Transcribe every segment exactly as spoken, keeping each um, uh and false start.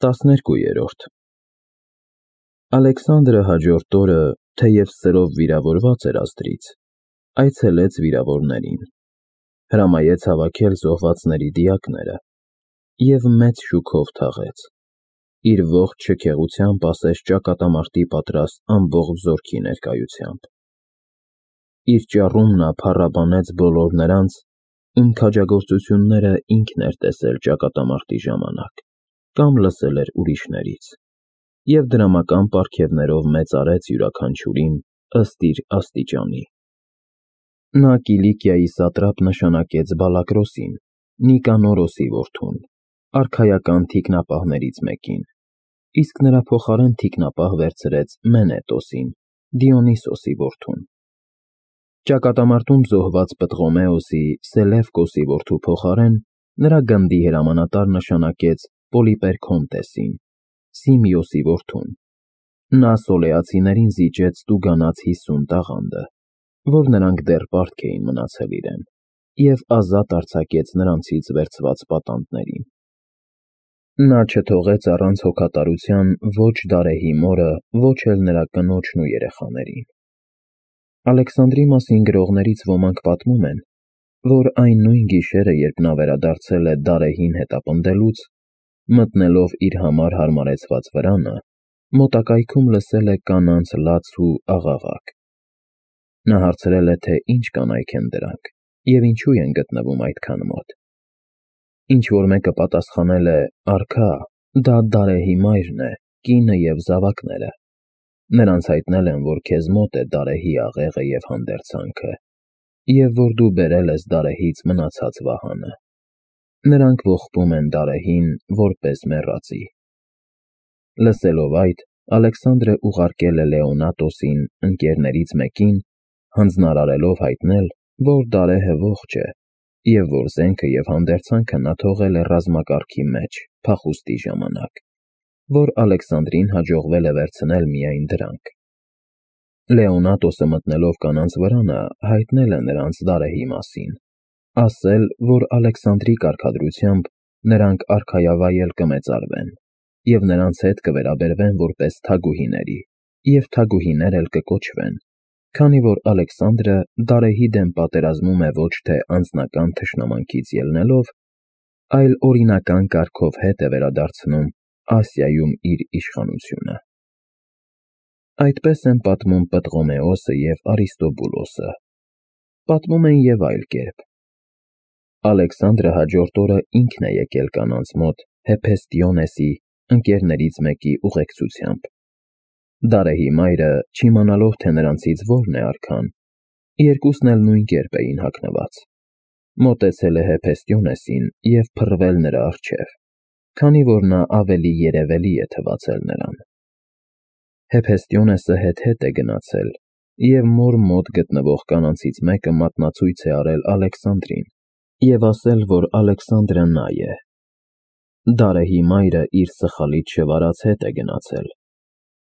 տասներկուերորդ Ալեքսանդրը հաջորդ օրը, թեև սրով վիրավորված էր ազդրից, այցելեց վիրավորներին, հրամայեց հավաքել զոհվածների դիակները և մեծ շուքով թաղեց, իր ողջ շքեղությամբ ասես ճակատամարտի պատրաստ ամբողջ զորքի ներկայությամբ։ Իր ճառում նա փառաբանեց բոլոր նրանց, ում քաջագործությունները ինքն էր տեսել ճակատամարտի ժամանակ կամ լսել էր ուրիշներից, և դրամական պարգևներով մեծարեց յուրաքանչյուրին ըստ իր աստիճանի։ Նա Կիլիկիայի սատրապ նշանակեց Բալակրոսին, Նիկանորոսի որդուն, արքայական թիկնապահներից մեկին, իսկ նրա փոխարեն թիկնապահ վերցրեց Մենետոսին, Դիոնիսոսի որդուն։ Ճակատամարտում զոհված Պտղոմեոսի, Սելևկոսի որդու փոխարեն նրա գնդի հրամանատար նշանակեց Պոլիպերքոնտեսին, Սիմիոսի որդուն։ Նա սոլեացիներին զիջեց տուգանած հիսուն տաղանդը, որ նրանք դեռ պարտք էին մնացել իրեն, և ազատ արձակեց նրանցից վերցված պատանդներին։ Նա չթողեց առանց հոգատարության ոչ Դարեհի մորը, ոչ էլ նրա կնոջն ու երեխաներին։ Ալեքսանդրի մասին գրողներից ոմանք պատմում են, որ այն նույն գիշերը, երբ նա վերադարձել է Դարեհին հետապնդելուց, մտնելով իր համար հարմարեցված վրանը, մոտակայքում լսել է կանանց լաց ու աղաղակ։ Նա հարցրել է, թե ինչ կանայք են դրանք և ինչու են գտնվում այդքան մոտ։ Ինչ-որ մեկը պատասխանել է. «Արքա, դա Դարեհի մայրն է, կինը և զավակները։ Նրանց հայտնել են, որ քեզ մոտ է Դարեհի աղեղը և հանդերձանքը, և որ դու բերել ես Դարեհից մնացած վահանը։ Նրանք ողբում են Դարեհին որպես մեռածի»։ Լսելով այդ, Ալեքսանդրը ուղարկել է Լեոնատոսին, ընկերներից մեկին, հանձնարարելով հայտնել, որ Դարեհը ողջ է, և որ զենքը և հանդերձանքը նա թողել է ռազմակարգի մեջ փախուստի ժամանակ, որ Ալեքսանդրին հաջողվել է վերցնել միայն դրանք։ Լեոնատոսը մտնելով կանանց վրանը, հայտնել է նրանց Դարեհի մասին, ասել, որ Ալեքսանդրի կարգադրությամբ նրանք արքայավայել կմեծարվեն, և նրանց հետ կվերաբերվեն որպես թագուհիների, և թագուհիներ էլ կկոչվեն, քանի որ Ալեքսանդրը Դարեհի դեմ պատերազմում է ոչ թե անձնական թշնամանքից ելնելով, այլ օրինական կարգով հետ է վերադարձնում Ասիայում իր իշխանությունը։ Այդպես են պատմում Պտղոմեոսը և Արիստոբուլոսը։ Պատմում են և այլ կերպ։ Ալեքսանդրը հաջորդ օրը ինքն է եկել կանանց մոտ Հեփեստիոնեսի, ընկերներից մեկի ուղեկցությամբ։ Դարեհի մայրը, չիմանալով, թե նրանցից որն է արքան, երկուսն էլ նույն կերպ էին հագնված, մոտեցել է Հեփեստիոնեսին և փռվել նրա առջև, քանի որ նա ավելի երևելի է թվացել նրան։ Հեփեստիոնեսը հետ-հետ է գնացել և մոր մոտ գտնվող կանանցից մեկը մատնացույց է արել Ալեքսանդրին և ասել, որ Ալեքսանդրը նա է։ Դարեհի մայրը իր սխալից շվարած հետ է գնացել,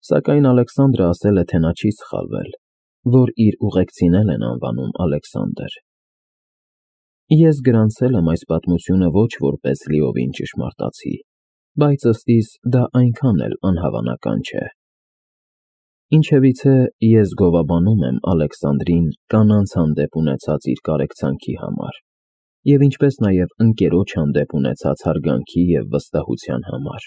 սակայն Ալեքսանդրը ասել է, թե նա չի սխալվել, որ իր ուղեկցին էլ են անվանում Ալեքսանդր։ Ես գրանցել եմ այս պատմությունը ոչ որպես լիովին ճշմարտացի, բայց ըստ իս դա այնքան էլ անհավանական չէ։ Ինչևիցե, ես գովաբանում եմ Ալեքսանդրին կանանց հանդեպ ունեցած իր կարեկցանքի համար, և ինչպես նաև ընկերոջ հանդեպ ունեցած հարգանքի և վստահության համար։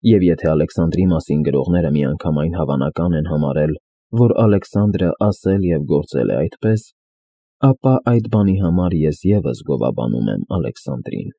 Եվ եթե Ալեքսանդրի մասին գրողները միանգամայն հավանական են համարել, որ Ալեքսանդրը ասել և գործել է այդպես, ապա այդ բանի համար ես ևս գովաբանում եմ Ալեքսանդրին։